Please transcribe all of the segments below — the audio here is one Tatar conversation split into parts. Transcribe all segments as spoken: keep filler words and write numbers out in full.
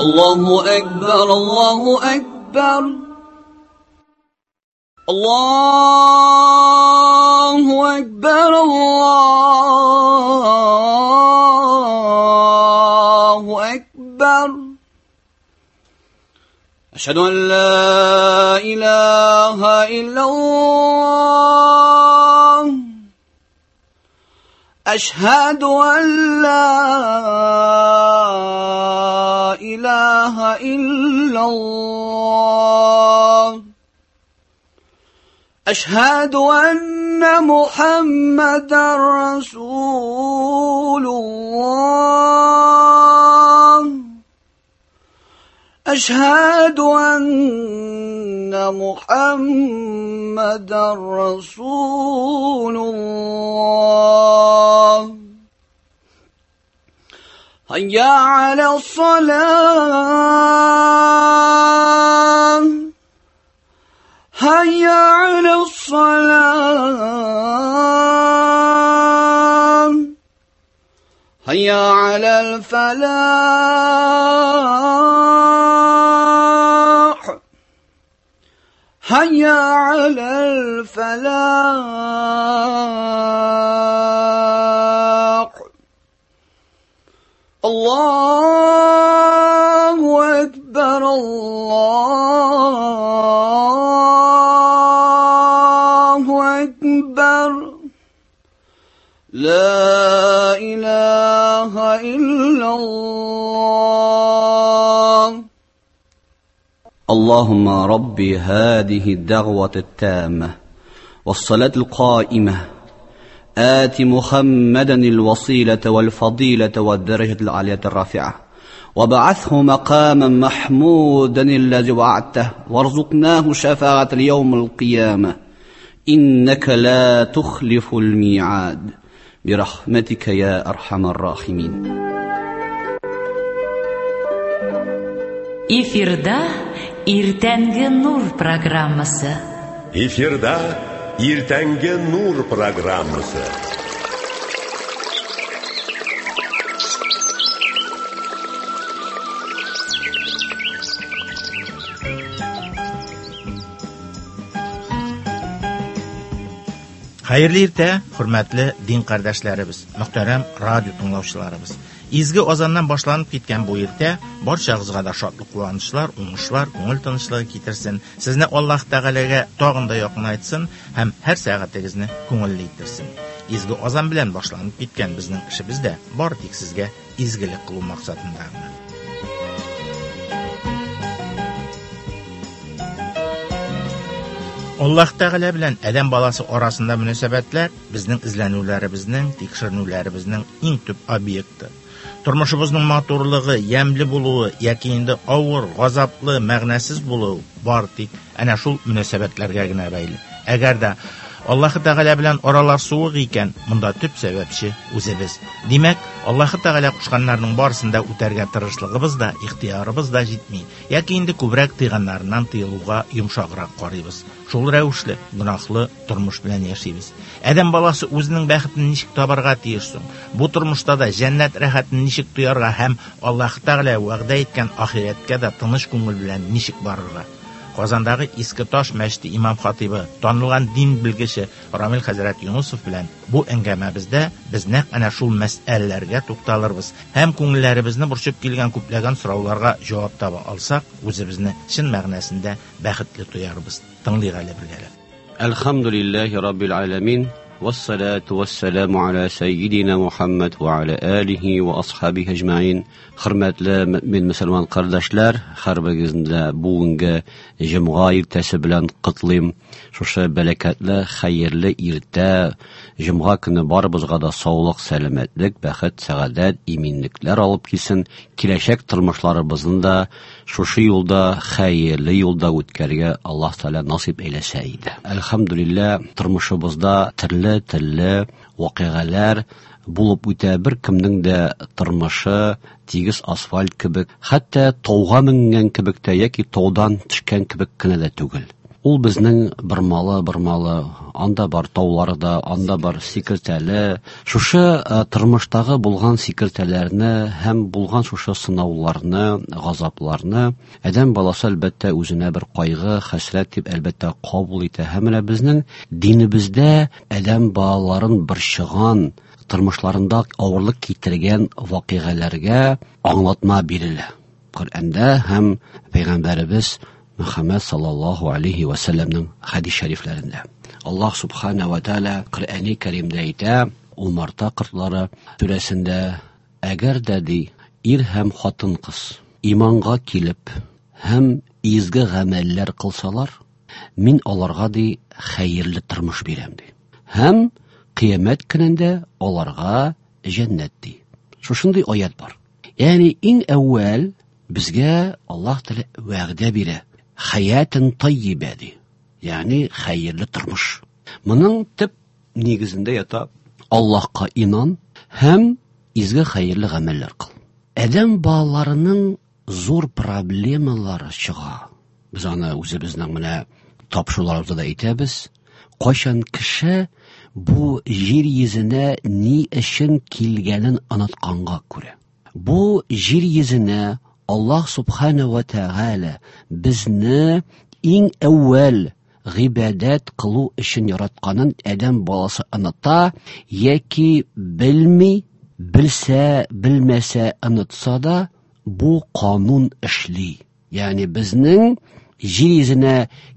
الله أكبر الله أكبر الله أكبر الله أكبر أشهد أن لا إله إلا الله أشهد أن لا إله إلا الله أشهد أن محمدا رسول الله أشهد أن محمدا رسول الله هيا على الصلاة هيا على الصلاة هيا على الفلاح هيا على الفلاح الله أكبر الله أكبر لا إله إلا الله. اللهم ربي هذه الدعوة التامة والصلاة القائمة آت محمدا الوسيلة والفضيلة والدرجة العالية الرافعة وبعثه مقاما محمودا الذي وعدته وارزقناه شفاعة اليوم القيامة إنك لا تخلف الميعاد برحمتك يا أرحم الراحمين. Эфирда Иртәнге Нур программасы. Эфирда Иртәнге Нур программасы. Хәерле иртә, хөрмәтле дин кардәшләребез, мөхтәрәм радио тыңлаучыларыбыз. Изге азаннан башланып киткән бу иртә барчагызга да шатлык, куанычлар, уңышлар, күңел тынычлыгы китерсен. Сезне Аллаһ Тәгаләгә тагын да якынайтсын һәм һәр сәгатегезне күңелле иттерсен. Изге азан белән башланып киткән безнең эшебез дә бары тик сезгә изгелек кылу максатында гына. Аллаһ Тәгалә белән адәм баласы арасында мөнәсәбәтләр безнең эзләнүләребезнең, тикшеренүләребезнең иң төп объекты. Тормышыбызның матурлыгы, ямьле булуы яки инде авыр, газаплы, мәгънәсез булуы бар тик әнә шул мөнәсәбәтләргә генә бәйле. Әгәр дә Аллаһ Тәгалә белән аралар суык икән, монда төп сәбәпче үзебез. Димәк, Аллаһ Тәгалә кушканнарның барысын да үтәргә тырышлыгыбыз да, ихтиярыбыз да җитми. Яки инде күбрәк тыйганнарыннан тыелуга йомшаграк карыйбыз. Шул рәвешле гөнаһлы тормыш белән яшибез. Адәм баласы үзенең бәхетен ничек табарга тиеш соң? Бу тормышта да җәннәт рәхәтен ничек тоярга һәм Аллаһ Тәгалә вәгъдә иткән ахирәткә дә тыныч күңел белән ничек барырга? Казандагы Иске Таш мәчете имам хатибы, танылган дин белгече Рамил хәзрәт Юнусов белән бу әңгәмәбездә без нәкъ әнә шул мәсьәләләргә тукталырбыз һәм күңелләребезне борчып килгән күпләгән сорауларга җавап таба алсак, үзебезне чын мәгънәсендә бәхетле тоярбыз. Тыңлыйк әле бергәләп. Әлхәмдүлилләһи раббил аламин. والصلاة والسلام على سيدنا محمد وعلى آله وأصحابه أجمعين. Хөрмәтле мөмин мөселман кардәшләр, һәрберегезне дә бүгенге җомга иртәсе белән котлыйм. Шушы бәрәкәтле, хәерле иртә, җомга көне барыбызга да саулык, сәламәтлек, бәхет, сәгадәт, иминлекләр алып килсен. Киләчәк тормышларыбызны да шушы юлда, хәерле юлда үткәрергә Аллаһ Тәгалә насыйп әйләсә иде. Әлхәмдүлилләһ, тормышыбызда төрле төрле вакыйгалар булып үтә. Бер кемнең дә тормышы тигез асфальт кебек, хәтта тауга менгән кебек тә яки таудан төшкән кебек кенә дә түгел. Ул безнең бормалы-бормалы, анда бар таулары да, анда бар сикертәле. Шушы тормыштагы булган сикертәләрне һәм булган шушы сынауларны, газапларны адәм баласы әлбәттә үзенә бер кайгы, хәсрәт дип әлбәттә кабул итә. Һәм менә безнең динебездә адәм балаларын борчыган, тормышларында авырлык китергән вакыйгаларга аңлатма бирелә. Коръәндә һәм Пәйгамбәребез Мөхәммәд саллаллаһу алейхи ва сәлләмнең хәдис шәрифләрендә. Аллаһ субхана ва тааля Коръәни Кәримдә әйтә, Умарта кортлары сүрәсендә, әгәр дә ди, ир һәм хатын-кыз иманга килеп һәм изге гамәлләр кылсалар, мин аларга ди хәерле тормыш бирәм ди. Һәм кыямәт көнендә аларга җәннәт ди. Шушындый аят бар. Ягъни иң әүвәл безгә Аллаһ Тәгалә вәгъдә бирә. Хаятын таййибә ди. Ягъни хәерле тормыш. Моның төп нигезендә ята Аллаһка инан һәм изге хәерле гамәлләр кыл. Адәм балаларының зур проблемалары чыга. Без аны үзебезнең менә тапшыруларыбызда да әйтәбез. Кайчан кеше бу җир йөзенә ни өчен килгәнен онытканга күрә. Бу җир йөзенә Аллаһ субхана ва тааля безне иң әүвәл гыйбадәт кылу өчен яратканын адәм баласы оныта яки белми, белсә, белмәсә онытса да, бу канун эшли. Ягъни безнең җир йөзенә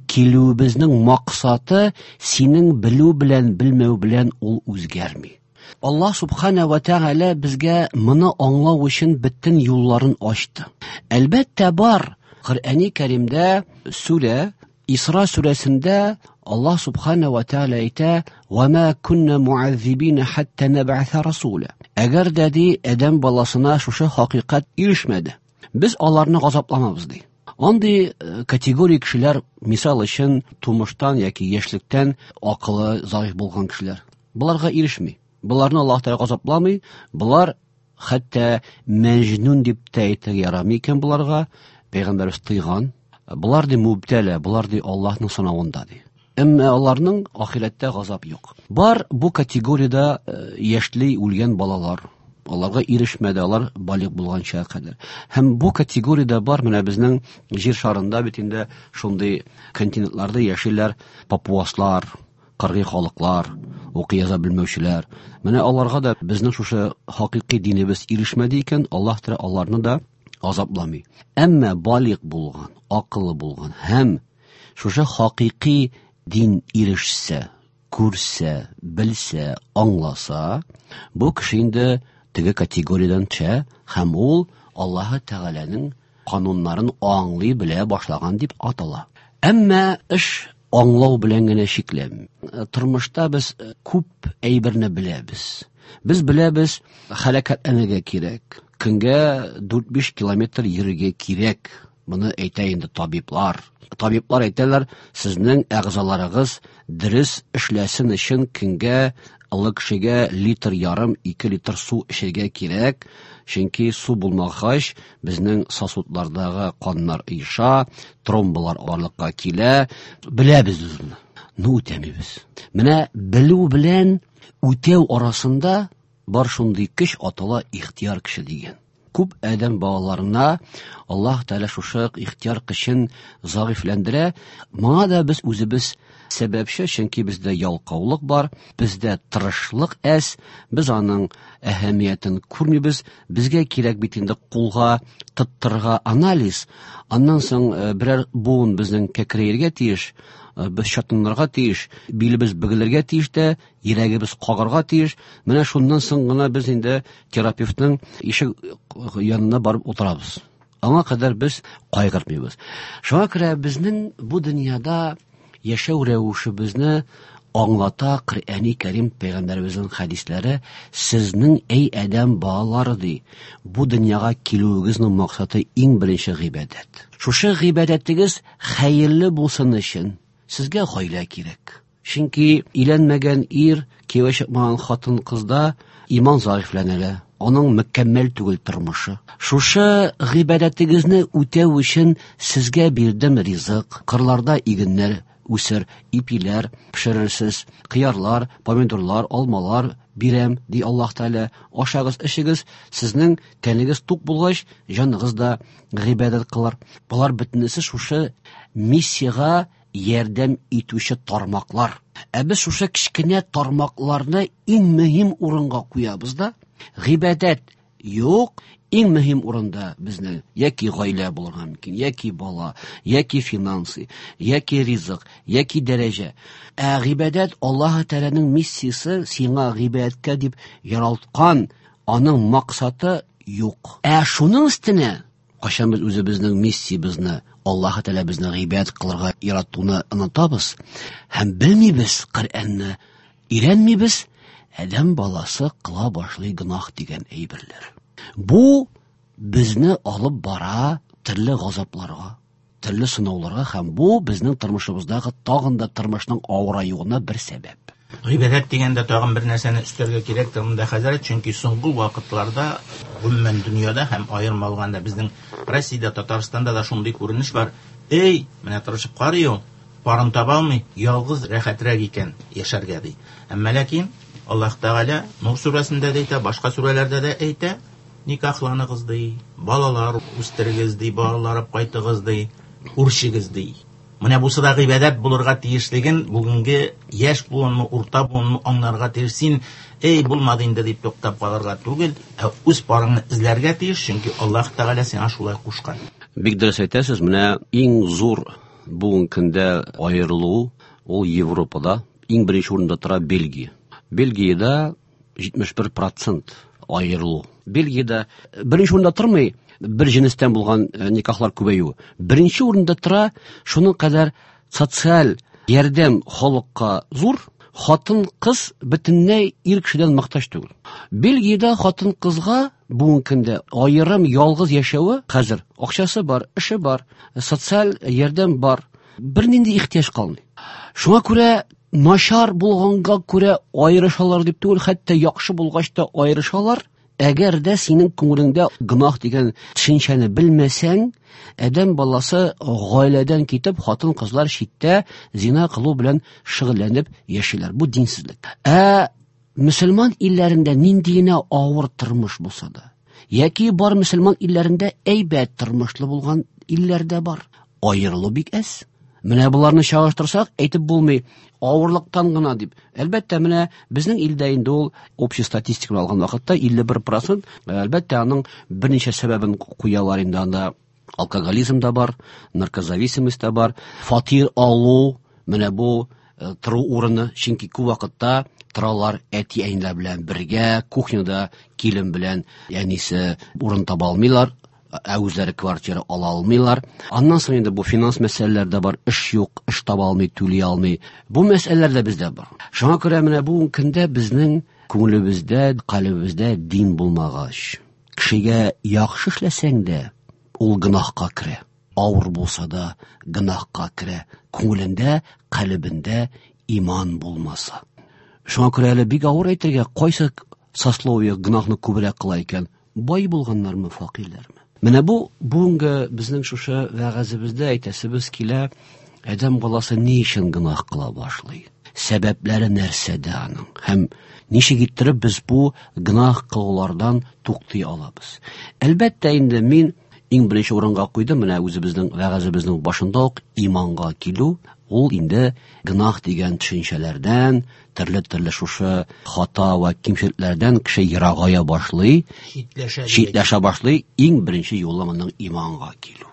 килүебезнең максаты синең белү белән белмәү белән ул үзгәрми. Аллаһ субхана ва тааля безгә моны аңлау өчен бөтен юлларын ачты. Әлбәттә бар. Коръәни Кәримдә сүрә Исра сүрәсендә Аллаһ субхана ва тааля әйтә: "Ва ма кунна муаззибина хатта набъаса расула". Әгәр дә ди адәм баласына шушы хакыйкать ирешмәде, без аларны газапламабыз ди. Андый категория кешеләр, мисал өчен, тумыштан яки яшьлектән акылы заиф булган кешеләр, буларга ирешми. Буларны Аллаһ Тәгалә газапламый, булар хәтта мәҗнүн дип тә әйтергә ярамый икән буларга, пәйгамбәребез тыйган. Булар ди мубтәлә, булар ди Аллаһның сынавында ди. Әмма аларның ахирәттә газап юк. Бар бу категориядә яшьли үлгән балалар. Аларга ирешмәде, алар балигъ булганча кадәр. Һәм бу категориядә бар менә безнең җир шарында бит инде шундый континентларда яшиләр папуаслар, кыргый халыклар, укый яза белмәүчеләр. Менә аларга да безнең шушы хакыйкый динебез ирешмәде икән, Аллаһ Тәгалә аларны да азапламый. Әмма балигъ булган, акыллы булган һәм шушы хакыйкый дин ирешсә, күрсә, белсә, аңласа, бу кеше инде теге категориядән төшә һәм ул Аллаһ Тәгаләнең кануннарын аңлый белә башлаган дип атала. Әмма эш аңлау белән генә чикләнми. Тормышта без күп әйберне беләбез. Без беләбез, хәрәкәтләнергә кирәк. Көнгә дүрт-биш километр йөрергә кирәк. Моны әйтә инде табиблар. Табиблар әйтәләр, сезнең әгъзаларыгыз дөрес эшләсен өчен көнгә олы кешегә литр ярым, ике литр су эчәргә кирәк. Чөнки су булмагач, безнең сосудлардагы каннар оеша, тромбалар барлыкка килә. Беләбез без моны. Ну, үтәмибез. Менә белү белән үтәү арасында бар шундый көч атала ихтияр көче дигән. Күп адәм балаларына Аллаһ Тәгалә шушы ихтияр көчен зәгыйфьләндерә. Моңа да без үзебез сәбәпче, чөнки бездә ялкаулык бар, бездә тырышлык әз, без аның әһәмиятен күрмибез. Безгә кирәк бит инде кулга тоттырырга анализ. Аннан соң, э, берәр буын безнең кәкрәергә тиеш, э, без чатынырга тиеш, билебез бөгелергә тиеш тә, йөрәгебез кагарга тиеш. Менә шуннан соң гына без инде терапевтның ишек янына барып утырабыз. Аңа кадәр без кайгыртмыйбыз. Шуңа күрә безнең бу дөньяда яшәү рәвешебезне аңлата Коръәни Кәрим, пәйгамбәребезнең хәдисләре. Сезнең, эй адәм балалары, ди, бу дөньяга килүегезнең максаты иң беренче гыйбадәт. Шушы гыйбадәтегез хәерле булсын өчен сезгә гаилә кирәк. Чөнки өйләнмәгән ир, кияүгә чыкмаган хатын-кызда иман зәгыйфьләнә, аның мөкәммәл түгел тормышы. Шушы гыйбадәтегезне үтәү өчен сезгә бирдем ризык, кырларда игеннәр үсер, ипиләр пешерерсез, кыярлар, помидорлар, алмалар бирәм, ди Аллаһ Тәгалә. Ашагыз, эчегез, сезнең тәнегез тук булгач, җаныгыз да гыйбадәт кылыр. Болар бөтенесе шушы миссиягә ярдәм итүче тармаклар. Ә без шушы кечкенә тармакларны иң мөһим урынга куябыз да, гыйбадәт юк, иң мөһим урында безнең яки гаилә булырга мөмкин, яки бала, яки финансы, яки ризык, яки дәрәҗә. Ә гыйбадәт Аллаһ Тәгаләнең миссиясе, сиңа гыйбадәткә дип яралткан, аның максаты юк. Ә шуның өстенә кайчан без үзебезнең миссиябезне, Аллаһ Тәгалә безне гыйбадәт кылырга яратуны онытабыз һәм белмибез, Коръәнне өйрәнмибез, адәм баласы кыла башлый гөнаһ дигән әйберләр. Бу безне алып бара төрле газапларга, төрле сынауларга, һәм бу безнең тормышыбыздагы тагын да тормышның авыраюына бер сәбәп. Гыйбадәт дигәндә тагын бер нәрсәне өстәргә кирәк монда, хәзрәт, чөнки соңгы вакытларда гомумән дөньяда һәм аерым алганда безнең Россиядә, Татарстанда да шундый күренеш бар. Эй, менә тырышып карый ул, парын таба алмый, ялгыз рәхәтрәк икән яшәргә ди. Әмма ләкин Аллаһ Тәгалә Нур сүрәсендә дә әйтә, башка сүрәләрдә дә әйтә, никахланыгыз ди, балалар үстерегез ди, балалар алып кайтыгыз ди, үрчегез ди. Менә бусы да гыйбадәт булырга тиешлеген бүгенге яшь буынмы, урта буынмы аңларга тиеш. Син, эй, булмады инде дип туктап калырга түгел, ә үз парыңны эзләргә тиеш, чөнки Аллаһ Тәгалә сиңа шулай кушкан. Бик дөрес әйтәсез, менә иң зур бүгенге көндә аерылу ул Европада, иң беренче урында тора Бельгия. Бельгиядә җитмеш бер процент аерылу. Бельгиядә беренче урында тормый бер җенестән булган никахлар күбәюе. Беренче урында тора шуның кадәр социаль ярдәм халыкка зур, хатын-кыз бөтенләй ир кешедән мохтаҗ түгел. Бельгиядә хатын-кызга бүгенге көндә аерым ялгыз яшәве хәзер акчасы бар, эше бар, социаль ярдәм бар, бернинди ихтыяҗ калмый. Шуңа күрә начар булганга күрә аерышалар дип түгел, хәтта яхшы булгач та аерышалар. Әгәр дә синең күңелеңдә гөнаһ дигән төшенчәне белмәсәң, адәм баласы гаиләдән китеп, хатын-кызлар читтә зина кылу белән шөгыльләнеп яшиләр. Бу динсезлек. Ә мөселман илләрендә нинди генә авыр тормыш булса да, яки бар мөселман илләрендә әйбәт тормышлы булган илләр дә бар, аерылу бик әз. Менә боларны чагыштырсак, әйтеп булмый, авырлыктан гына дип. Әлбәттә, менә безнең илдә инде ул общий статистиканы алган вакытта илле бер процент, әлбәттә, аның берничә сәбәбен куялар инде анда. Алкоголизм да бар, наркозависимость та бар, фатир алу, менә бу тору урыны, чөнки күп вакытта торалар әти-әниләр белән бергә, кухняда килен белән әнисе урын таба алмыйлар, ә үзләре квартира ала алмыйлар. Аннан соң инде бу финанс мәсьәләләре дә бар, эш юк, эш таба алмый, түли алмый. Бу мәсьәләләр дә бездә бар. Шуңа күрә менә бу көндә безнең күңелебездә, калебебездә дин булмагач, кешегә яхшы эшләсәң дә, ул гөнаһка керә. Авыр булса да гөнаһка керә. Күңелендә, калебендә иман булмаса. Шуңа күрә әле бик авыр әйтергә, кайсы сословие гөнаһны күбрәк кыла икән? Бай булганнармы, фәкыйрьләрме? Менә бу бүгенге безнең шушы вәгазебездә әйтәсебез килә, адәм баласы ни өчен гөнаһ кыла башлый? Сәбәпләре нәрсәдә аның? Һәм ничек иттереп без бу гөнаһ кылулардан туктый алабыз? Әлбәттә инде мин иң беренче урынга куйдым, менә үзебезнең вәгазебезнең башында ук иманга килү, ул инде гөнаһ дигән төшенчәләрдән, төрле-төрле шушы хата ва кимчелекләрдән кеше ерагая башлый, читләшә, читләшә башлый. Иң беренче юлы моның иманга килү.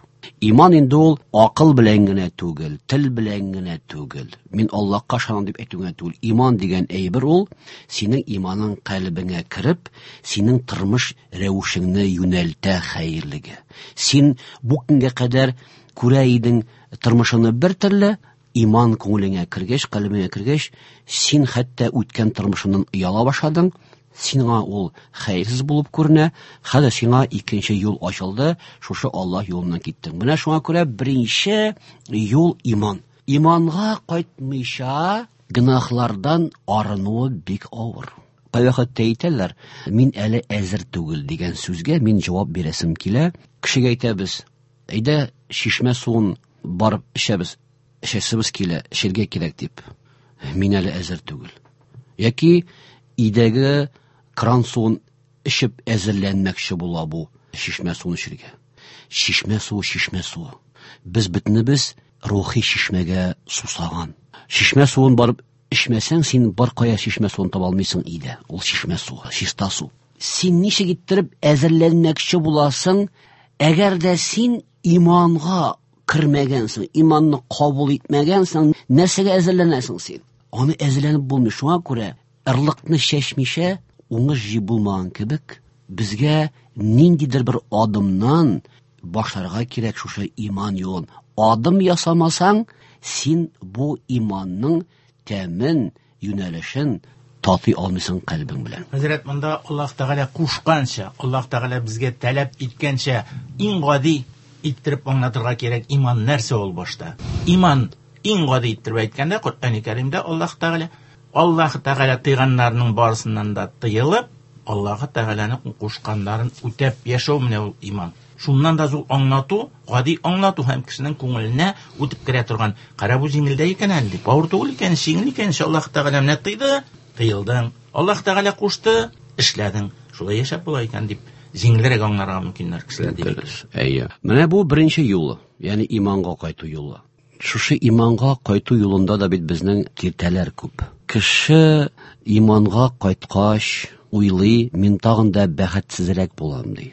Иман инде ул акыл белән генә түгел, тел белән генә түгел. Мин Аллаһка ышанам дип әйтү генә түгел. Иман дигән әйбер ул синең иманың калебеңә кереп, синең тормыш рәвешеңне юнәлтә хәерлегә. Син бу көнгә кадәр күрә идең тормышыңны бер төрле, иман күңелеңә кергәч, калебеңә кергәч, син хәтта үткән тормышыңнан ояла башладың. Сиңа ул хәерсез булып күренә, хәзер сиңа икенче юл ачылды, шушы Аллаһ юлыннан киттең. Менә шуңа күрә беренче юл иман. Иманга кайтмыйча гөнаһлардан арынуы бик авыр. Кайвакытта әйтәләр, мин әле әзер түгел дигән сүзгә мин җавап бирәсем килә. Кешегә әйтәбез, әйдә чишмә суын барып эчәбез. Эчәсебез килә, эчәргә кирәк дип. Мин әле әзер түгел. Яки өйдәге кран суын эчеп әзерләнмәкче була бу чишмә суын эчәргә. Чишмә суы, чишмә суы. Без бөтенебез рухи чишмәгә сусаган. Чишмә суын барып эчмәсәң, син бар кая чишмә суын таба алмыйсың өйдә. Ул чишмә суы, чиста су. Син ничек иттереп әзерләнмәкче буласың, әгәр дә син иманга кермәгәнсең, иманны кабул итмәгәнсең, нәрсәгә әзерләнәсең син? Аны әзерләнеп булмый. Шуңа күрә ырлыкны чәчмичә уңыш җыеп булмаган кебек, безгә ниндидер бер адымнан башларга кирәк шушы иман юлын. Адым ясамасаң, син бу иманның тәмен, юнәлешен татый алмыйсың кальбең белән. Хәзрәт, монда Аллаһ Тәгалә кушканча, Аллаһ Тәгалә безгә таләп иткәнчә иң гади иттереп аңлатырга кирәк иман нәрсә ул башта. Иман иң гади иттереп әйткәндә, Коръән-и Кәримдә Аллаһ Тәгалә Аллаһ Тәгалә тыйганнарның барысыннан да тыелып, Аллаһ Тәгаләнең кушканнарын үтәп яшәү менә ул иман. Шуннан да зур аңлату, гади аңлату һәм кешенең күңеленә үтеп керә торган. Кара бу җиңелдә икән әле дип, авыр түгел икән, җиңел икән, Аллаһ Тәгалә менә тыйды, тыелдың. Аллаһ Тәгалә кушты, эшләдең. Шулай яшәп була икән дип җиңелрәк аңларга мөмкиннәр кешеләр дип. Дөрес. Әйе. Менә бу беренче юлы, ягъни иманга кайту юлы. Шушы иманга кайту юлында да бит безнең киртәләр күп. Кеше иманга кайткач уйлый, мин тагын да бәхетсезрәк булам ди.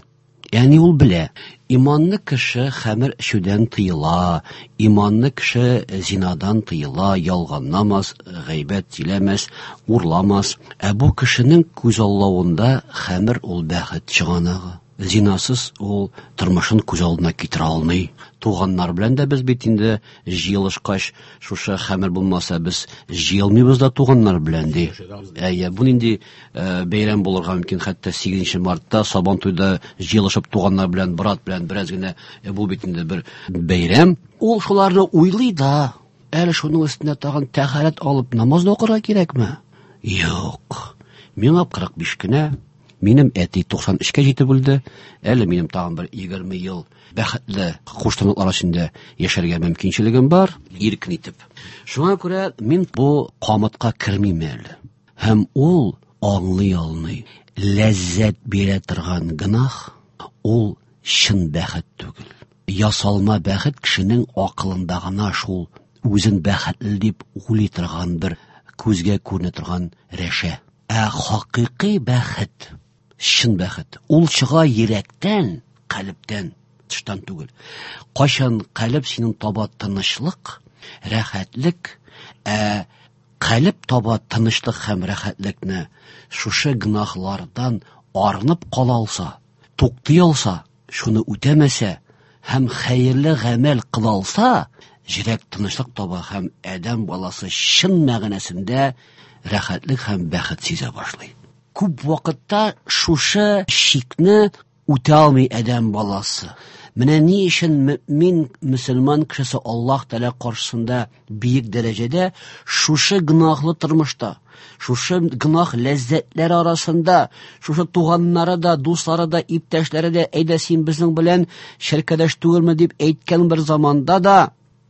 Ягъни ул белә, иманлы кеше хәмер эчүдән тыела, иманлы кеше зинадан тыела, ялганламас, гайбәт сөйләмәс, урламас. Ә бу кешенең күз аллавында хәмер ул бәхет чыганагы. Зинасыз ул тормышын күз алдына китерә алмый. Туганнар белән дә без бит инде җыелышкач, шушы хәмер булмаса без җыелмыйбыз да туганнар белән ди. Әйе, бу нинди бәйрәм булырга мөмкин, хәтта сигезенче мартта Сабантуйда җыелышып туганнар белән, брат белән бераз генә, бу бит инде бер бәйрәм. Ул шуларны уйлый да, әле шуның өстенә тагын тәһарәт алып намаз да укырга кирәкме? Юк. Миңа кырык биш кенә. Минем әти туксан өчкә җитеп үлде. Әле минем тагын бер егерме ел бәхетле куштанлыклар эчендә яшәргә мөмкинчелегем бар, иркен итеп. Шуңа күрә мин бу камытка кермим әле. Һәм ул аңлый алмый. Ләззәт бирә торган гөнаһ ул чын бәхет түгел. Ясалма бәхет кешенең акылында гына шул үзен бәхетле дип уйлый торган бер күзгә күренә торган рәшә. Ә хакыйкый бәхет, чын бәхет, ул чыга йөрәктән, калептән, тыштан түгел. Кайчан калеп синең таба тынычлык, рәхәтлек, ә калеп таба тынычлык һәм рәхәтлекне шушы гөнаһлардан арынып кала алса, туктый алса, шуны үтәмәсә һәм хәерле гамәл кыла алса, йөрәк тынычлык таба һәм адәм баласы чын мәгънәсендә рәхәтлек һәм бәхет сизә башлый. Күп вакытта шушы шикне үтә алмый адәм баласы. Менә ни өчен мөмин мөселман кешесе Аллаһ Тәгалә каршысында бөек дәрәҗәдә шушы гөнаһлы тормышта, шушы гөнаһ ләззәтләре арасында, шушы туганнары да, дуслары да, иптәшләре дә, әйдә син безнең белән ширкәдәш түгелме дип әйткән бер заманда да,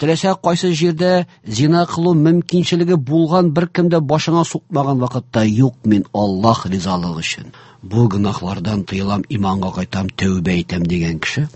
теләсә кайсы җирдә зина кылу мөмкинчелеге булган бер кем дә башыңа сукмаган вакытта, юк, мин Аллаһ ризалыгы өчен бу гөнаһлардан тыелам, иманга кайтам, тәүбә итәм дигән кеше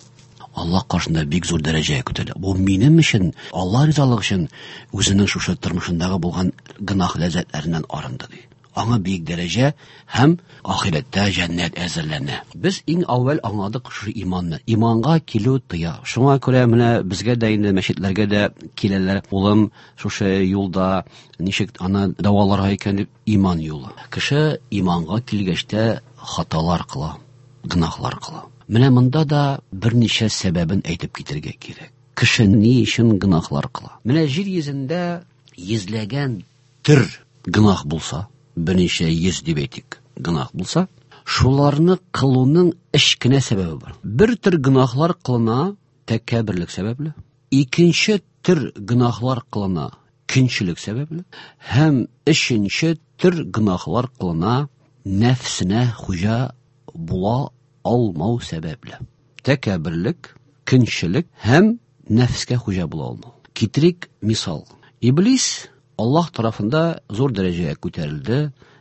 Аллаһ каршында бик зур дәрәҗәгә күтәрелә. Бу минем өчен, Аллаһ ризалыгы өчен үзенең шушы тормышындагы булган гөнаһ ләззәтләреннән арынды ди. Аңа бик дәрәҗә һәм ахирәттә җәннәт әзерләнә. Без иң әүвәл аңладык шушы иманны. Иманга килү тыя. Шуңа күрә менә безгә дә инде мәчетләргә дә киләләр. Улым шушы юлда ничек аны дәваларга икән дип, иман юлы. Кеше иманга килгәч тә хаталар кыла, гөнаһлар кыла. Менә монда да берничә сәбәбен әйтеп китергә кирәк. Кеше ни өчен гөнаһлар кыла? Менә җир йөзендә йөзләгән төр гөнаһ булса, берничә йөз дип әйтик, гөнаһ булса, шуларны кылуның өч кенә сәбәбе бар. Бер төр гөнаһлар кылына тәкәбберлек сәбәпле, икенче төр гөнаһлар кылына көнчелек сәбәпле, һәм өченче төр гөнаһлар кылына нәфсенә хуҗа була алмау сәбәпле. Тәкәбберлек, көнчелек һәм нәфскә хуҗа була алмау. Китерик мисал. Иблис Аллаһ тарафында зур дәрәҗәгә күтәрелде.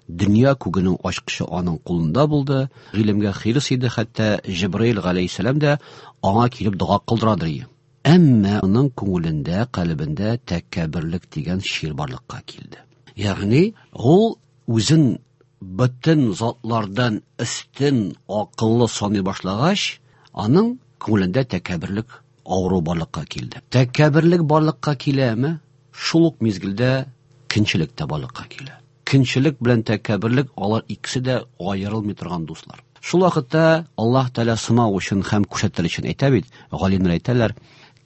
Дөнья күгенең ачкычы аның кулында булды. Гыйлемгә хирыс иде, хәтта Җибраил галәйһиссәлам дә аңа килеп дога кылдырадыр. Әмма аның күңелендә, калебендә тәкәбберлек дигән шир барлыкка килде. Ягъни ул үзен бөтен затлардан өстен акыллы саный башлагач, аның күңелендә тәкәбберлек авыру барлыкка килде. Тәкәбберлек барлыкка киләме? Шул ук мизгелдә көнчелек тә барлыкка килә. Көнчелек белән тәкәбберлек алар икесе дә аерылмый торган дуслар. Шул вакытта Аллаһ Тәгалә сынау өчен һәм күрсәтер өчен әйтә бит, галимнәр әйтәләр,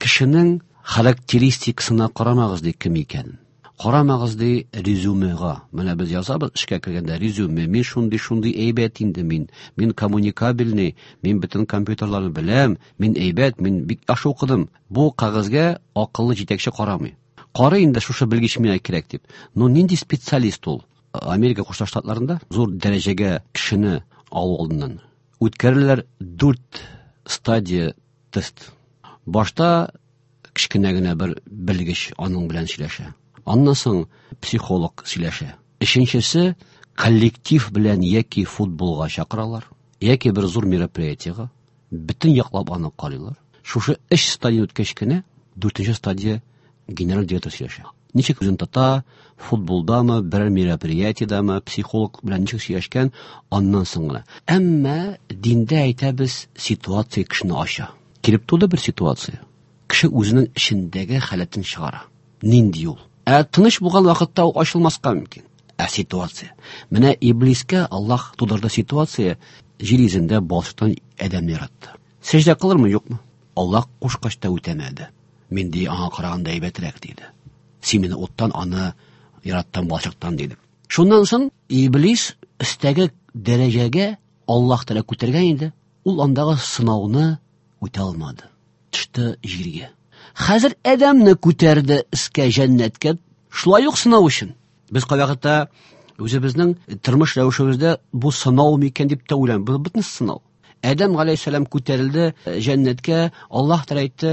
кешенең характеристикасына карамагыз ди кем икәнен. Карамагыз ди резюмега. Менә без язабыз эшкә кергәндә резюме, мин шундый шундый әйбәт инде мин, мин коммуникабельный, мин бөтен компьютерларны беләм, мин әйбәт, мин бик яхшы укыдым. Бу кәгазьгә акыллы җитәкче карамый. Карый инде шушы белгеч миңа кирәк дип. Но нинди специалист ул? Америка Кушма Штатларында зур дәрәҗәгә кешене алу алдыннан үткәреләләр дүрт стадия тест. Башта кечкенә генә бер белгеч аның белән сөйләшә. Аннан соң психолог сөйләшә. Өченчесе коллектив белән яки футболга чакыралар, яки бер зур мероприятиега. Бөтен яклап аны карыйлар. Шушы өч стадия үткәч кенә дүртенче стадия генераль директор сөйләшә. Ничек үзен тота, футболдамы, бер мероприятиедамы, психолог белән ничек сөйләшкән, аннан соң гына. Әмма диндә әйтәбез, ситуация кешене ача. Килеп туды бер ситуация. Кеше үзенең эчендәге халәтен чыгара. Нинди ул? Ә тыныч булган вакытта ул ачылмаска мөмкин. Ә ситуация. Менә иблискә Аллаһ тудырды ситуация, җир йөзендә балчыктан адәмне яратты. Сәҗдә кылырмы, юкмы? Аллаһ кушкач та үтәмәде. Мин ди аңа караганда әйбәтрәк диде. Син мине уттан, аны яраттың балчыктан диде. Шуннан соң иблис өстәге дәрәҗәгә Аллаһ Тәгалә күтәргән инде. Ул андагы сынауны үтә алмады. Төште җиргә. Хәзер адәмне күтәрде өскә, җәннәткә, шулай ук сынау өчен. Без кайвакытта үзебезнең тормыш рәвешебездә бу сынау микән дип тә уйлыйбыз. Бу бөтен сынау. Адәм галәйһиссәлам күтәрелде җәннәткә, Аллаһ Тәгалә әйтте: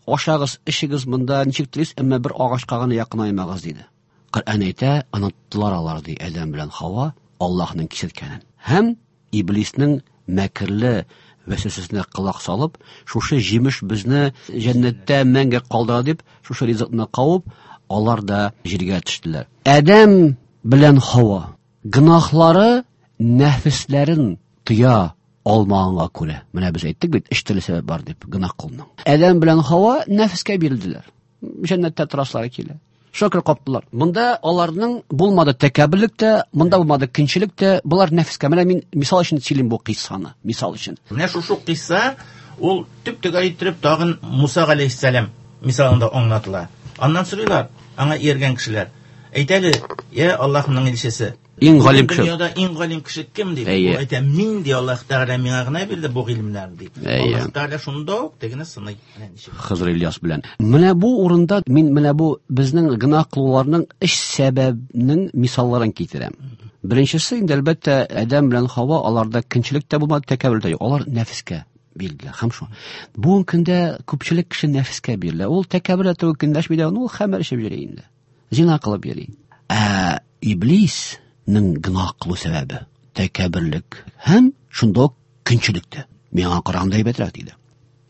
ашагыз, эчегез монда ничек телисез, әмма бер агачка гына якынаймагыз диде. Коръән әйтә, оныттылар алар ди Адәм белән Хава Аллаһның кисәткәнен. Һәм иблиснең мәкерле вәсвәсәсенә колак салып, шушы җимеш безне җәннәттә мәңге калдыра дип, шушы ризыкны кабып, алар да җиргә төштеләр. Адәм белән Хава гөнаһлары нәфесләрен тыя алмаганга күрә. Менә без әйттек бит, өч төрле сәбәп бар дип гөнаһ кылуның. Адәм белән Хава нәфескә бирелделәр. Җәннәттә торасылары килә. Шөкер каптылар. Монда аларның булмады тәкәбберлек тә, монда булмады көнчелек тә, булар нәфескә. Менә мин мисал өчен сөйлим бу кыйссаны, мисал өчен. Менә шушы кыйсса ул төп-төгәл иттереп тагын Муса галәйһиссәлам мисалында аңлатыла. Аннан сорыйлар, аңа ияргән кешеләр. Әйт әле, я Аллаһның илчесе, Иң галим кеше. Дөньяда иң галим кеше кем дип? Әйе. Ул әйтә, мин ди, Аллаһ Тәгалә миңа гына бирде бу гыйлемнәрне дип. Әйе. Аллаһ Тәгалә шунда ук тегене сыный. Менә ничек. Хызыр Ильяс белән. Менә бу урында мин менә бу безнең гөнаһ кылуларның өч сәбәбнең мисалларын китерәм. Беренчесе инде әлбәттә Адәм белән Хава, аларда көнчелек тә булмады, тәкәбберлек тә юк. Алар нәфескә бирелделәр. Һәм шу. Бүгенге көндә күпчелек кеше нәфескә бирелә. Ул тәкәббер дә түгел, көнләшми дә, ул хәмер эчеп йөри инде. Зина кылып йөри. Ә иблиснең гөнаһ кылу сәбәбе тәкәбберлек һәм шунда ук көнчелек тә. Миңа караганда әйбәтрәк диде.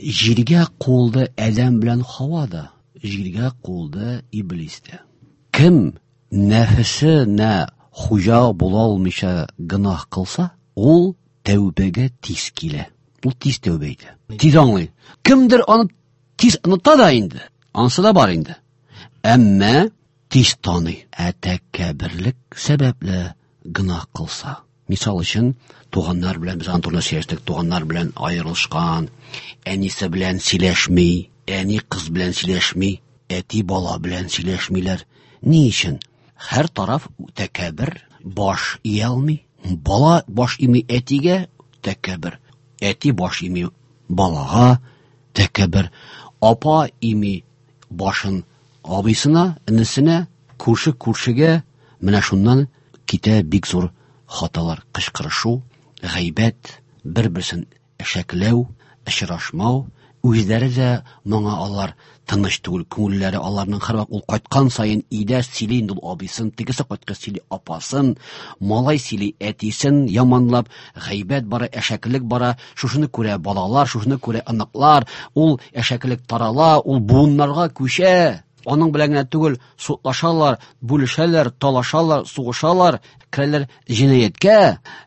Җиргә куылды Адәм белән Хава да, җиргә куылды иблис тә. Кем нәфесенә хуҗа була алмыйча гөнаһ кылса, ул тәүбәгә тиз килә. Ул тиз тәүбә итә. Тиз аңлый. Кемдер аны тиз оныта да инде. Анысы да бар инде. Әмма тиз таный. Ә тәкәбберлек сәбәпле гөнаһ кылса. Мисал өчен, туганнар белән без аны турында сөйләштек, туганнар белән аерылышкан, әнисе белән сөйләшми, әни кыз белән сөйләшми, әти бала белән сөйләшмиләр. Ни өчен? Һәр тараф тәкәббер, баш ия алмый. Бала баш ими әтигә тәкәббер, әти баш ими балага тәкәббер, апа ими башын абыйсына, энесенә, күрше күршегә. Менә шуннан китә бик зур хаталар, кычкырышу, гайбәт, бер-берсен әшәкләү, очрашмау, Үзләре дә моңа алар тыныч түгел, күңелләре аларның һәрвакыт ул кайткан саен өйдә сөйли инде ул абыйсын, тегесе кайткач сөйли апасын, малай сөйли әтисен, яманлап, гайбәт бара, әшәкелек бара, шушыны күрә балалар, шушыны күрә оныклар, ул әшәкелек тарала, ул буыннарга күчә. Аның белән генә түгел, судлашалар, бүлешәләр, талашалар, сугышалар, керәләр җинаятькә.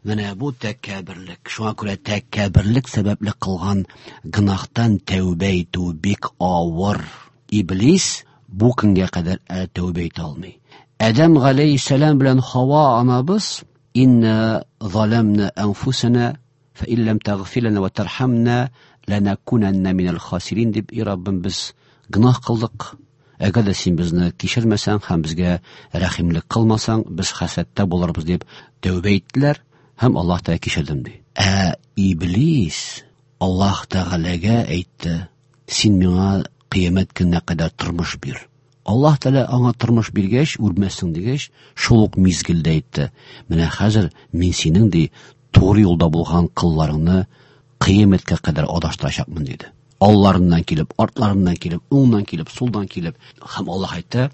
Менә бу тәкәбберлек. Шуңа күрә тәкәбберлек сәбәпле кылган гөнаһтан тәүбә итү бик авыр. Иблис бу көнгә кадәр әле тәүбә итә алмый. Адәм галәйһиссәлам белән Хава анабыз инна заламна анфусана фа ин лам тагфир лана ва тархамна ланакунанна минал хасирин дип, и Раббым, без гөнаһ кылдык. Әгәр дә син безне кичермәсәң һәм безгә рәхимлек кылмасаң, без хәсрәттә булырбыз дип тәүбә иттеләр һәм Аллаһ Тәгалә кичердем ди. Ә Иблис Аллаһ Тәгаләгә әйтте: син миңа кыямәт көненә кадәр тормыш бир. Аллаһ Тәгалә аңа тормыш биргәч, үлмәссең дигәч, шул ук мизгелдә әйтте: менә хәзер мин синең ди туры юлда булган кылларыңны кыямәткә кадәр адаштырачакмын диде. Алларыннан килеп, артларыннан килеп, уңнан килеп, сулдан килеп, һәм Аллаһ әйтте: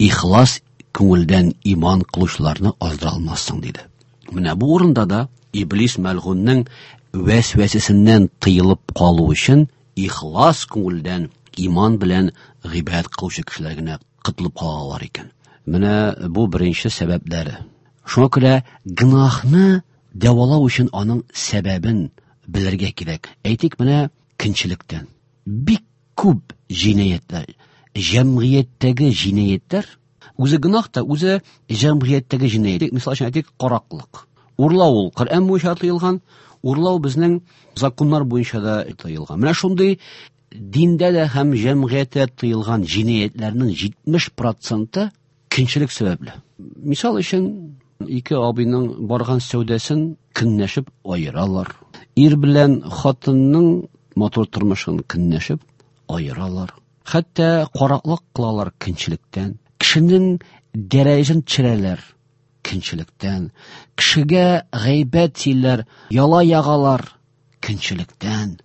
ихлас күңелдән иман кылучыларны аздыра алмассың диде. Менә бу урында да Иблис мәлгуннең вәсвәсәсеннән тыелып калу өчен ихлас күңелдән иман белән гыйбадәт кылучы кешеләр генә котылып калалар икән. Менә бу беренче сәбәпләре. Шуңа күрә гөнаһны дәвалау өчен аның сәбәбен белергә кирәк. Әйтик, менә көнчелектән бик күп җинаятьләр, җәмгыятьтәге җинаятьләр, үзе гөнаһ та, үзе җәмгыятьтәге җинаять. Мисал өчен әйтик, караклык. Урлау ул Коръән буенча тыелган, урлау безнең законнар буенча да тыелган. Менә шундый диндә дә һәм җәмгыятьтә тыелган җинаятьләрнең җитмеш проценты көнчелек сәбәпле. Мисал өчен, ике абыйның барган сәүдәсен көнләшеп аералар. Ир белән хатынның матур тормышын көнләшеп аералар. Хәтта караклык кылалар көнчелектән. Кешенең дәрәҗәсен төшерәләр көнчелектән. Кешегә гайбәт сөйләр, яла ягалар көнчелектән.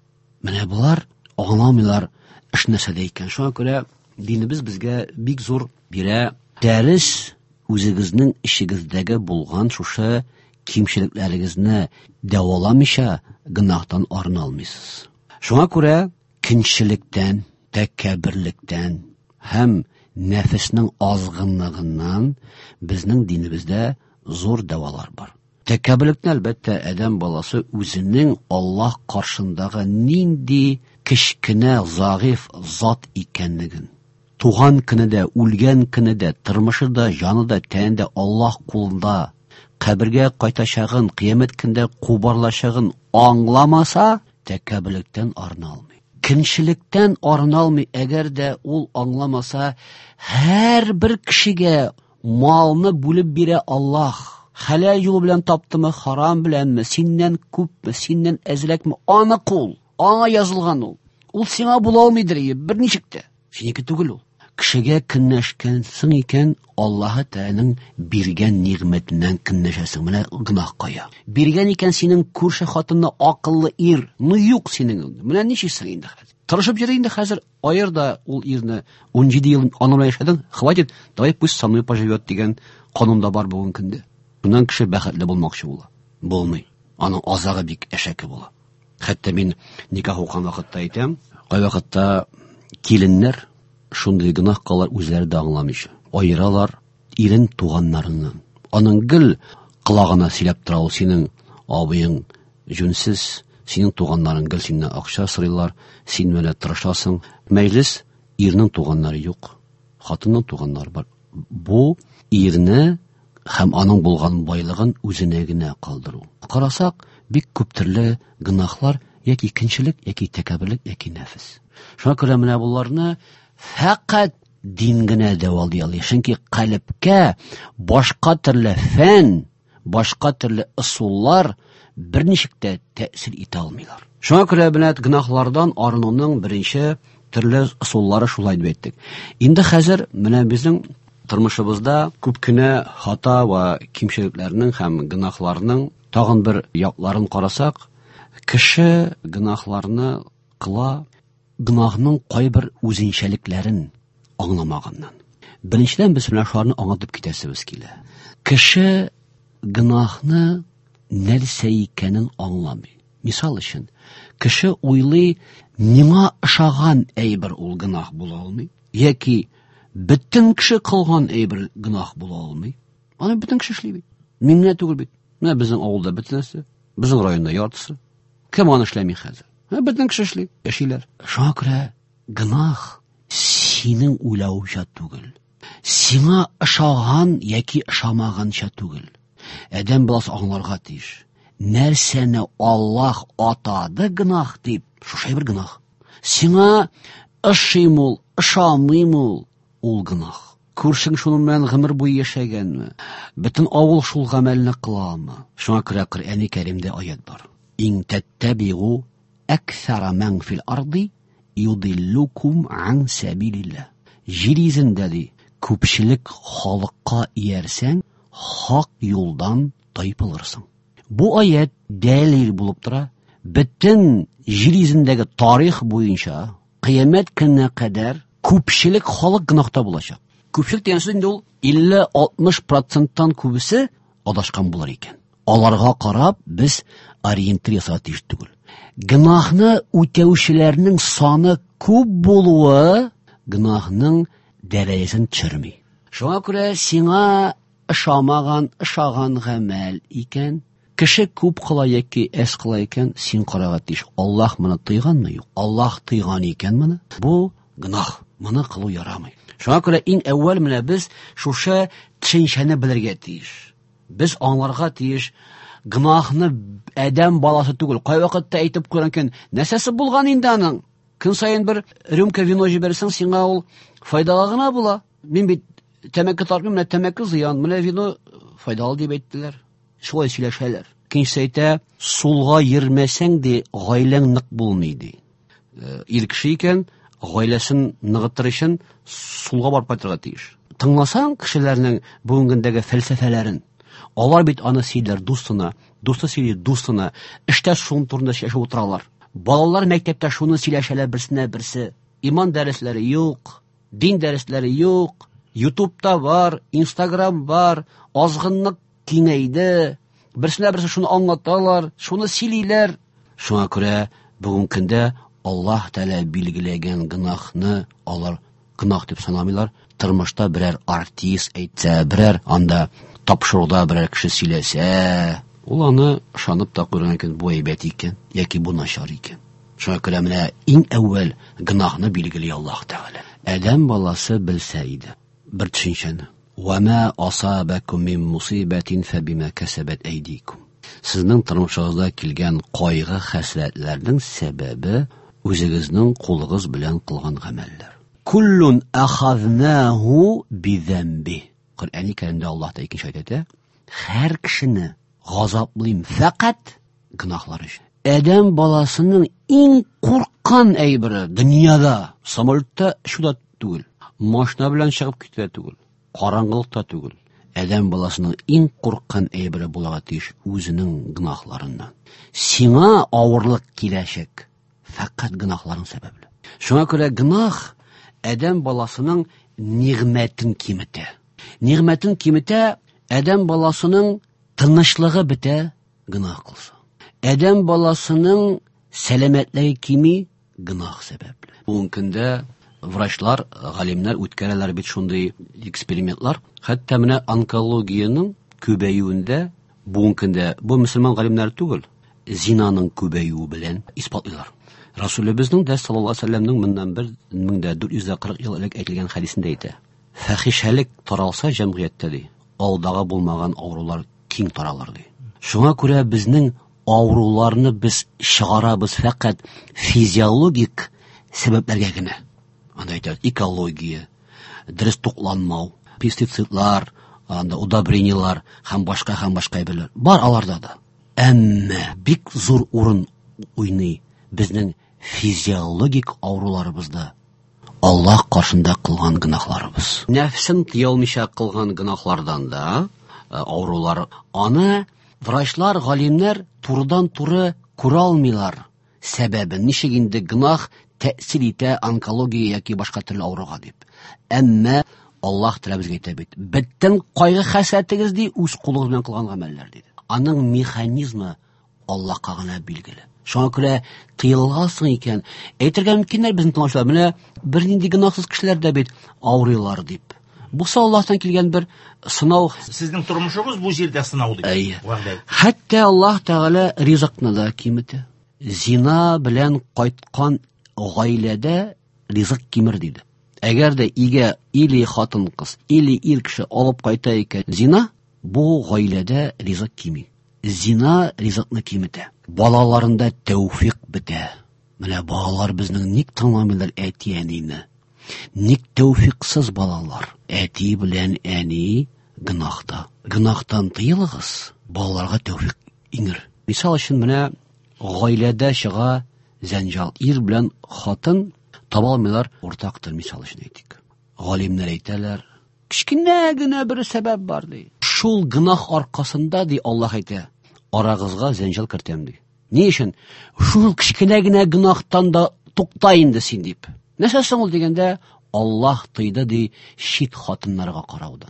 Менә болар аңламыйлар эш нәрсәдә икән. Шуңа күрә динебез безгә бик зур бирә дәрес, үзегезнең эчегездәге булган шушы кимчелекләрегезне дәваламыйча гөнаһтан арына алмыйсыз. Шуңа күрә көнчелектән, тәкәбберлектән һәм нәфеснең азгынлыгыннан безнең динебездә зур дәвалар бар. Тәкәбберлекне, әлбәттә, адәм баласы үзенең Аллаһ каршындагы нинди кечкенә, зәгыйфь зат икәнлеген, туган көне дә, үлгән көне дә, тормышы да, җаны да, тәне дә Аллаһ кулында, кабергә кайтачагын, кыямәт көндә кубарылачагын аңламаса, тәкәбберлектән арына алмый. Көнчелектән арына алмый, әгәр дә ул аңламаса, һәрбер кешегә малны бүлеп бирә Аллаһ. Хәләл юл белән таптымы, харам беләнме, синнән күпме, синнән әзрәкме, аны кул, аңа язылган ул. Ул сиңа була алмыйдыр, берничек тә. Синеке түгел ул. Кешегә көнләшкәнсең икән, Аллаһы Тәгаләнең биргән нигъмәтеннән көнләшәсең. Менә гөнаһ кая. Биргән икән синең күрше хатынны акыллы ир, ну юк синең. Менә ничексең инде хәзер? Тырышып йөр инде хәзер, аер да ул ирне. Ун җиде ел аның белән яшәдең, хватит, давай пусть со мной поживет дигән канун да бар бүгенге көндә. Шуннан кеше бәхетле булмакчы була. Булмый. Аның азагы бик әшәке була. Хәтта мин никах укыган вакытта әйтәм, кайвакытта киленнәр шундый гөнаһ кылалар, үзләре дә аңламыйча. Аералар ирен туганнарыннан. Аның гел колагына сөйләп тора ул, синең абыең җүнсез, синең туганнарың гел синнән акча сорыйлар, син менә тырышасың. Мәҗлес ирнең туганнары юк, хатынның туганнары бар. Бу ирне һәм аның булган байлыгын үзенә генә калдыру. Карасак, бик күп төрле гөнаһлар, яки көнчелек, яки тәкәбберлек, яки нәфес. Шуңа күрә менә боларны фәкать дин генә дәвалый ала. Чөнки калебкә башка төрле фән, башка төрле ысуллар берничек тә тәэсир итә алмыйлар. Шуңа күрә менә гөнаһлардан арынуның беренче төрле ысуллары шулай дип әйттек. Инде хәзер менә безнең тормышыбызда күп кенә хата ва кимчелекләрнең һәм гөнаһларның тагын бер якларын карасак, кеше гөнаһларны кыла, гөнаһның кайбер үзенчәлекләрен аңламаганнан. Беренчедән, без менә шуларны аңлатып китәсебез килә. Кеше гөнаһны нәрсә икәнен аңламый. Мисал өчен, кеше уйлый, миңа ошаган әйбер ул гөнаһ була алмый, яки бөтен кеше кылган әйбер гөнаһ була алмый. Аны бөтен кеше эшли бит. Мин генә түгел бит. Менә безнең авылда бөтенесе, безнең районда яртысы. Кем аны эшләми хәзер? Менә бөтен кеше эшли, яшиләр. Шуңа күрә гөнаһ синең уйлавыңча түгел. Сиңа ошаган яки ошамаганча түгел. Адәм баласы аңларга тиеш. Нәрсәне Аллаһ атады гөнаһ дип, шушы бер гөнаһ. Сиңа ошыйм ул, ошамыйм ул, ул гөнаһ. Күршең шуның белән гомер буе яшәгәнме? Бөтен авыл шул гамәлне кыламы? Шуңа күрә Коръәни Кәримдә аят бар. Ин таттабигу аксара ман фил арди юдиллукум ан сабилилlah. Җир йөзендә ди, күпчелек халыкка иярсәң, хак юлдан тайпылырсың. Бу аят дәлил булып тора. Бөтен җир йөзендәге тарих буенча кыямәт көненә кадәр күпчелек халык гөнаһта булачак. Күпчелек дигән сүз инде ул илле алтмыш проценттан күбесе адашкан булыр икән. Аларга карап без ориентир ясарга тиеш түгел. Гөнаһны үтәүчеләрнең саны күп булуы гөнаһның дәрәҗәсен төшерми. Шуңа күрә сиңа ошамаган, ошаган гамәл икән, кеше күп кыла яки әз кыла икән, син карарга тиеш. Аллаһ моны тыйганмы? Юк. Аллаһ тыйган икән моны. Бу гөнаһ. Моны кылу ярамый. Шуңа күрә иң әүвәл менә без шушы төшенчәне белергә тиеш. Без аңларга тиеш, гөнаһны адәм баласы түгел. Кай вакытта әйтеп куйган икән, нәрсәсе булган инде аның? Көн саен бер рюмка вино җибәрсәң, сиңа ул файдалы гына була. Мин бит тәмәке тартмыйм, менә тәмәке зыян, менә вино файдалы дип әйттеләр. Шулай сөйләшәләр. Икенчесе әйтә, сулга йөрмәсәң ди, гаиләң нык булмый ди. Ир кеше икән, гаиләсен ныгытыр өчен сулга барып кайтырга тиеш. Тыңласаң кешеләрнең бүгенге көндәге фәлсәфәләрен, алар бит аны сөйләр дустына, дусты сөйли дустына, эштә шуның турында сөйләшеп утыралар. Балалар мәктәптә шуны сөйләшәләр берсенә берсе. Иман дәресләре юк, дин дәресләре юк, Ютубта бар, Инстаграм бар, азгынлык киңәйде. Берсенә берсе шуны аңлаталар, шуны сөйлиләр. Шуңа күрә бүгенге көндә Аллаһ Тәгалә билгеләгән гөнаһны алар гөнаһ дип санамыйлар. Тормышта берәр артист әйтсә, берәр анда тапшыруда берәр кеше сөйләсә, ул аны ышанып та куйган икән, бу әйбәт икән яки бу начар икән. Шуңа күрә менә иң әүвәл гөнаһны билгели Аллаһ Тәгалә. Адәм баласы белсә иде бер төшенчәне. Ва ма асабакум мин мусибатин фабима касабат айдикум. Сезнең тормышыгызда килгән кайгы хәсрәтләрнең сәбәбе үзегезнең кулыгыз белән кылган гамәлләр. Куллун ахазнаху бидамби. Коръәни Кәримдә Аллаһ та икенче аят әйтә, һәр кешене газаплыйм фәкать гөнаһлар өчен. Адәм баласының иң курккан әйбере дөньяда самолетта шуда түгел, машина белән чыгып китә түгел, караңгылыкта түгел. Адәм баласының иң курккан әйбере булырга тиеш үзенең гөнаһларыннан. Сиңа авырлык киләчәк фәкать гөнаһларың сәбәпле. Шуңа күрә гөнаһ адәм баласының нигъмәтен киметә. Нигъмәтен киметә, адәм баласының тынычлыгы бетә гөнаһ кылса. Адәм баласының сәламәтлеге кими гөнаһ сәбәпле. Бүгенге көндә врачлар, галимнәр үткәрәләр бит шундый экспериментлар. Хәтта менә онкологиянең күбәюендә бүгенге көндә бу мөселман галимнәре түгел, зинаның күбәюе белән исбатлыйлар. Расулыбызның дә саллаллаһу алейһи ва сәлләмнең моннан бер мең дә дүрт йөз кырык ел элек әйтелгән хәдисендә әйтә. Фәхишәлек таралса җәмгыятьтә ди, алдагы булмаган авырулар киң таралыр ди. Шуңа күрә безнең авыруларны без чыгарабыз фәкать физиологик сәбәпләргә генә. Анда әйтә, экология, дөрес тукланмау, пестицидлар, анда удобрениелар һәм башка һәм башка әйберләр бар аларда да. Әмма бик зур урын уйный безнең физиологик авыруларыбызда Аллаһ каршында кылган гөнаһларыбыз. Нәфсен тыя алмыйча кылган гөнаһлардан да авырулар аны врачлар, галимнәр турыдан-туры күрә алмыйлар. Сәбәбе ничек инде гөнаһ тәэсир итә онкология яки башка төрле авыруга дип. Әмма Аллаһ Тәгалә безгә әйтә бит: бөтен кайгы хәсрәтегез ди үз кулыгыз белән кылган гамәлләр диде. Аның механизмы Аллаһка гына билгеле. Шуңа күрә тыеласың икән, әйтергә мөмкиннәр безнең тыңлаучылар, менә бернинди гөнаһсыз кешеләр дә бит авырыйлар дип. Бусы Аллаһтан килгән бер сынау. Сезнең тормышыгыз бу җирдә сынау дип. Вәгъдә. Хәтта Аллаһ Тәгалә ризыкны да киметә. Зина белән кайткан гаиләдә ризык кимер диде. Әгәр дә игә или хатын-кыз, или ир кеше алып кайта икән зина, бу гаиләдә ризык кими. Зина ризыкны киметә. Балаларында тәүфик бетә. Менә балалар безнең ник тыңламыйлар әти-әнине? Ник тәүфиксыз балалар? Әти белән әни гөнаһта. Гөнаһтан тыелыгыз, балаларга тәүфик иңер. Мисал өчен менә гаиләдә чыга зәнҗал. Ир белән хатын таба алмыйлар уртак тел, мисал өчен әйтик. Галимнәр әйтәләр, кечкенә генә бер сәбәп бар ди. Шул гөнаһ аркасында ди Аллаһ әйтә, арагызга зәнҗал кертәм ди. Ни өчен? Шул кечкенә генә гөнаһтан да тукта инде син дип. Нәрсә соң ул дигәндә, Аллаһ тыйды ди чит хатыннарга караудан.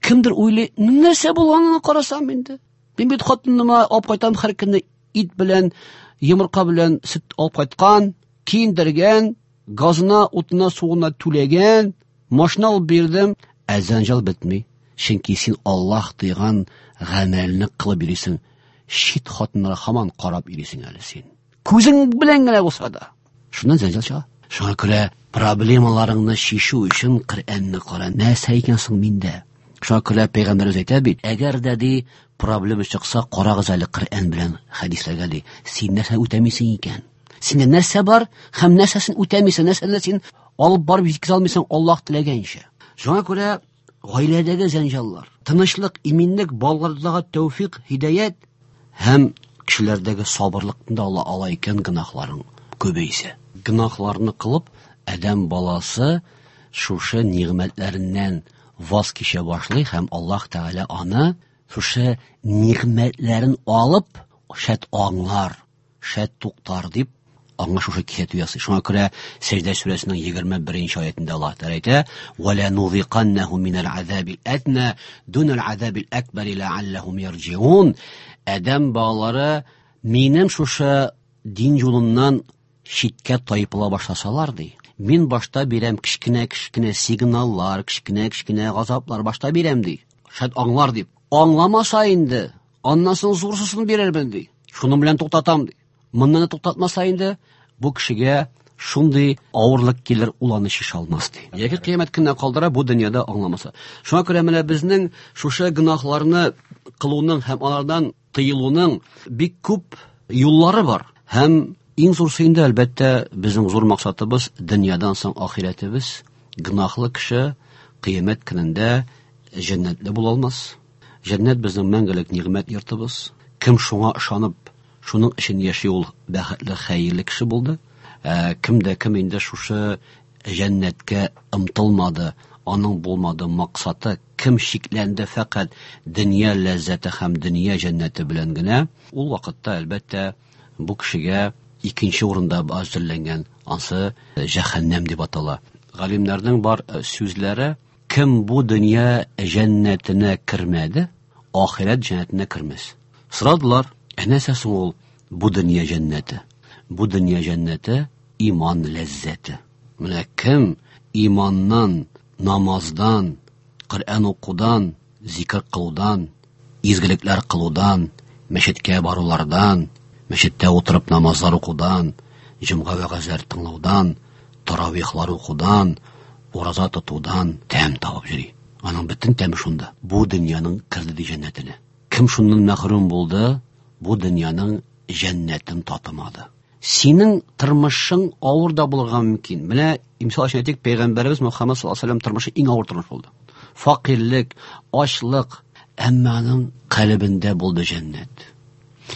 Кемдер уйлый, нәрсә булганына карасам инде. Мин бит хатыныма алып кайтам һәр көнне ит белән, йомырка белән сөт алып кайткан, киендергән, газына, утына, суына түләгән, машина алып бирдем, ә зәнҗал бетми. Чөнки син Аллаһ тыйган гамәлне кылып йөрисең. Чит хатыннарга һаман карап йөрисең әле син. Күзең белән генә булса да. Шуннан зәнҗал чыга. Шуңа күрә проблемаларыңны чишү өчен Коръәнне кара. Нәрсә икән соң миндә? Шуңа күрә пәйгамбәребез әйтә бит, әгәр дә ди проблема чыкса, карагыз әле Коръән белән хәдисләргә ди. Син нәрсә үтәмисең икән? Синдә нәрсә бар һәм нәрсәсен үтәмисең, нәрсәне син алып барып җиткезә алмыйсың Аллаһ теләгәнчә. Шуңа күрә гаиләдәге зәнҗаллар, тынычлык, иминлек, балалардагы тәүфик, һидаят һәм кешеләрдәге сабырлыкны да ала ала икән гөнаһларың күбәйсә. Гөнаһларны кылып, адәм баласы шушы нигъмәтләреннән ваз кичә башлый һәм Аллаһ Тәгалә аны шушы нигъмәтләрен алып, шәт аңлар, шәт туктар дип аңа шушы кисәтү ясый. Шуңа күрә Сәҗдә сүрәсенең егерме беренче аятында Аллаһ Тәгалә әйтә: "Ва ла нузиқаннаху минал азабил адна дунал азабил акбар лааллахум ярҗиун". Адәм балалары минем шушы дин юлыннан читкә тайпыла башласалар ди, мин башта бирәм кечкенә-кечкенә сигналлар, кечкенә-кечкенә газаплар башта бирәм ди. Шәт аңлар дип. Аңламаса инде, аннан соң зурсысын бирермен ди. Шуның белән туктатам ди. Моннан туктатмаса инде, бу кешегә шундый авырлык килер, ул аны шиша алмас ди. Яки кыямәт көненә калдыра бу дөньяда аңламаса. Шуңа күрә менә безнең шушы гөнаһларны кылуның һәм алардан тыелуның бик күп юллары бар. Һәм иң зурсы инде, әлбәттә, безнең зур максатыбыз дөньядан соң ахирәтебез. Гөнаһлы кеше кыямәт көнендә җәннәтле була алмас. Җәннәт безнең мәңгелек нигъмәт йортыбыз. Кем шуңа ышанып, шуның өчен яши, ул бәхетле, хәерле кеше булды. Ә, кем дә кем инде шушы җәннәткә омтылмады, аның булмады максаты, кем шикләнде фәкать дөнья ләззәте һәм дөнья җәннәте белән генә, ул вакытта әлбәттә бу кешегә икенче урында әзерләнгән, ансы җәһәннәм дип атала. Галимнәрнең бар сүзләре, кем бу дөнья җәннәтенә кермәде, ахирәт җәннәтенә кермәс. Сорадылар, ә нәрсә соң ул бу дөнья җәннәте? Бу дөнья җәннәте иман ләззәте. Менә кем иманнан, намаздан, Коръән укудан, зикр кылудан, изгелекләр кылудан, мәчеткә барулардан, мәчеттә утырып намазлар укудан, җомга вәгазьләр тыңлаудан, таравихлар укудан, ураза тотудан тәм табып йөри. Аның бөтен тәме шунда. Бу дөньяның керде ди җәннәтенә. Кем шуннан мәхрүм булды, бу дөньяның җәннәтен татымады. Синең тормышың авыр да булырга мөмкин. Менә мисал өчен әйтик, пәйгамбәребез Мөхәммәд саллаллаһу алейһи ва сәлләм тормышы иң авыр тормыш булды. Факирлек, ачлык, әмма аның калебендә булды җәннәт.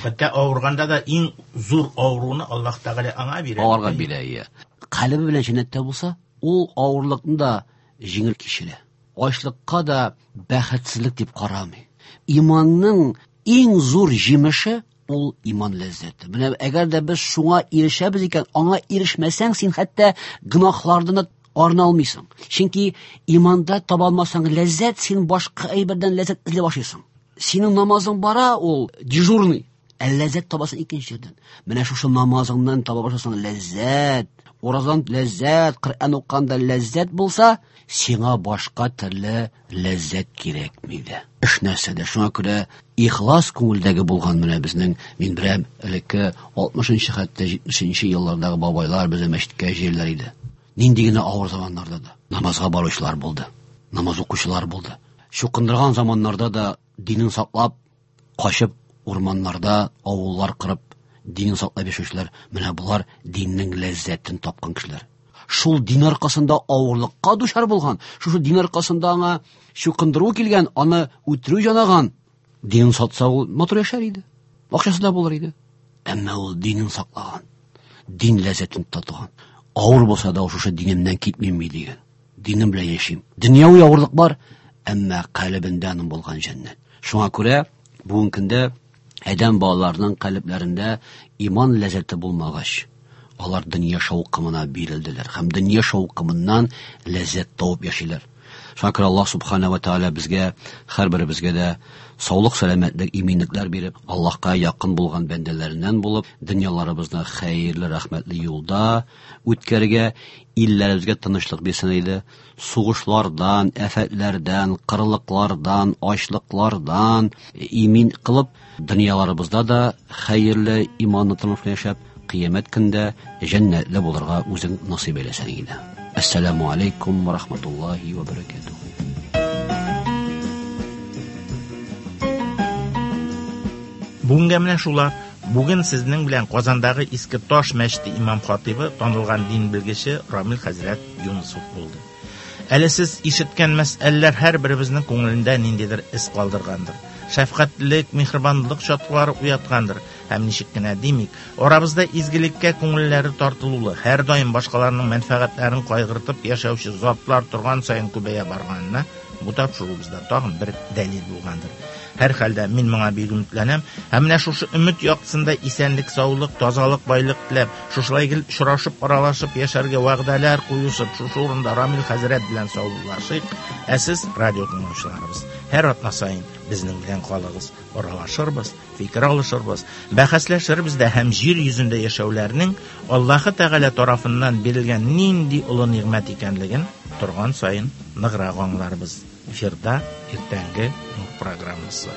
Хәтта авырганда да иң зур авыруны Аллаһ Тәгалә аңа бирә. Авырга бирә, иә. Калебе белән җәннәттә булса, ул авырлыкны да җиңел кичерә. Ачлыкка да бәхетсезлек дип карамый. Иманның иң зур җимеше Ул иман ләззәте. Менә әгәр дә без шуңа ирешәбез икән, аңа ирешмәсәң, син хәтта гөнаһлардан да арына алмыйсың. Чөнки иманда таба алмасаң ләззәт, син башка әйбердән ләззәт эзли башлыйсың. Синең намазың бара, ул дежурный, ә ләззәт табасың икенче җирдән. Менә шушы намазыңнан таба башласаң ләззәт, уразадан ләззәт, Коръән укканда ләззәт булса, сиңа башка төрле ләззәт кирәкми дә. Эш нәрсәдә? Шуңа күрә ихлас күңелдәге булган менә безнең, мин беләм, элекке алтмышынчы хәтта җитмешенче еллардагы бабайлар безне мәчеткә җырлар иде. Нинди генә авыр заманнарда да намазга баручылар булды, намаз укучылар булды. Чукындырган заманнарда да динен саклап, качып урманнарда авыллар кырып, динен саклап яшәүчеләр, менә болар диннең ләззәтен тапкан кешеләр. Шул дин аркасында авырлыкка дучар булган, шушы дин аркасында аңа чукындыру килгән, аны үтерү янаган. Динен сатса, ул матур яшәр иде, акчасы да булыр иде. Әмма ул динен саклаган, дин ләззәтен татыган. Авыр булса да, шушы динемнән китмим дигән. Динем белән яшим. Дөньяви авырлык бар, әмма калебендә аның булган җәннәт. Шуңа күрә бүгенге көндә адәм балаларының калебләрендә иман ләззәте булмагач, алар дөнья шаукымына бирелделәр һәм дөнья шаукымыннан ләззәт табып яшиләр. Шуңа күрә Аллаһ субхана ва тааля безгә, һәрберебезгә дә саулык, сәламәтлек, иминлекләр биреп, Аллаһка якын булган бәндәләреннән булып, дөньяларыбызны хәерле, рәхмәтле юлда үткәрергә, илләребезгә тынычлык бирсен иде. Сугышлардан, афәтләрдән, кырлыклардан, ачлыклардан имин кылып, дөньяларыбызда да хәерле, иманлы тормыш яшәп, кыямәт көндә җәннәтле булырга үзең насыйп әйләсен иде. Ассаламу алейкум ва рахматуллахи ва баракатуһ. Бүгенгә менә шулар. Бүген сезнең белән Казандагы Иске Таш мәчете имам хатибы, танылган дин белгече Рамил хәзрәт Юнусов булды. Әле сез ишеткән мәсьәләләр һәрберебезнең күңелендә ниндидер эз калдыргандыр. Шәфкатьлек, миһербанлык чаткылары уяткандыр. Һәм ничек кенә димик, арабызда изгелеккә күңелләре тартылулы, һәр даим башкаларның мәнфәгатьләрен кайгыртып яшәүче затлар торган саен күбәя барганына бу тапшыруыбызда тагын бер дәлил булгандыр. Һәр хәлдә мин моңа бик өметләнәм. Һәм менә шушы өмет яктысында исәнлек, саулык, тазалык, байлык теләп, шушылай гел очрашып, аралашып яшәргә вәгъдәләр куешып, шушы урында Рамил хәзрәт белән саубуллашыйк. Ә сез, радио тыңлаучыларыбыз, һәр атна саен безнең белән калыгыз, аралашырбыз, фикер алышырбыз, бәхәсләшербез дә һәм җир йөзендә яшәүләрнең Аллаһы Тәгалә тарафыннан бирелгән нинди олы нигъмәт икәнлеген торган саен ныграк аңларбыз. Эфирда иртәнге Нур программасы.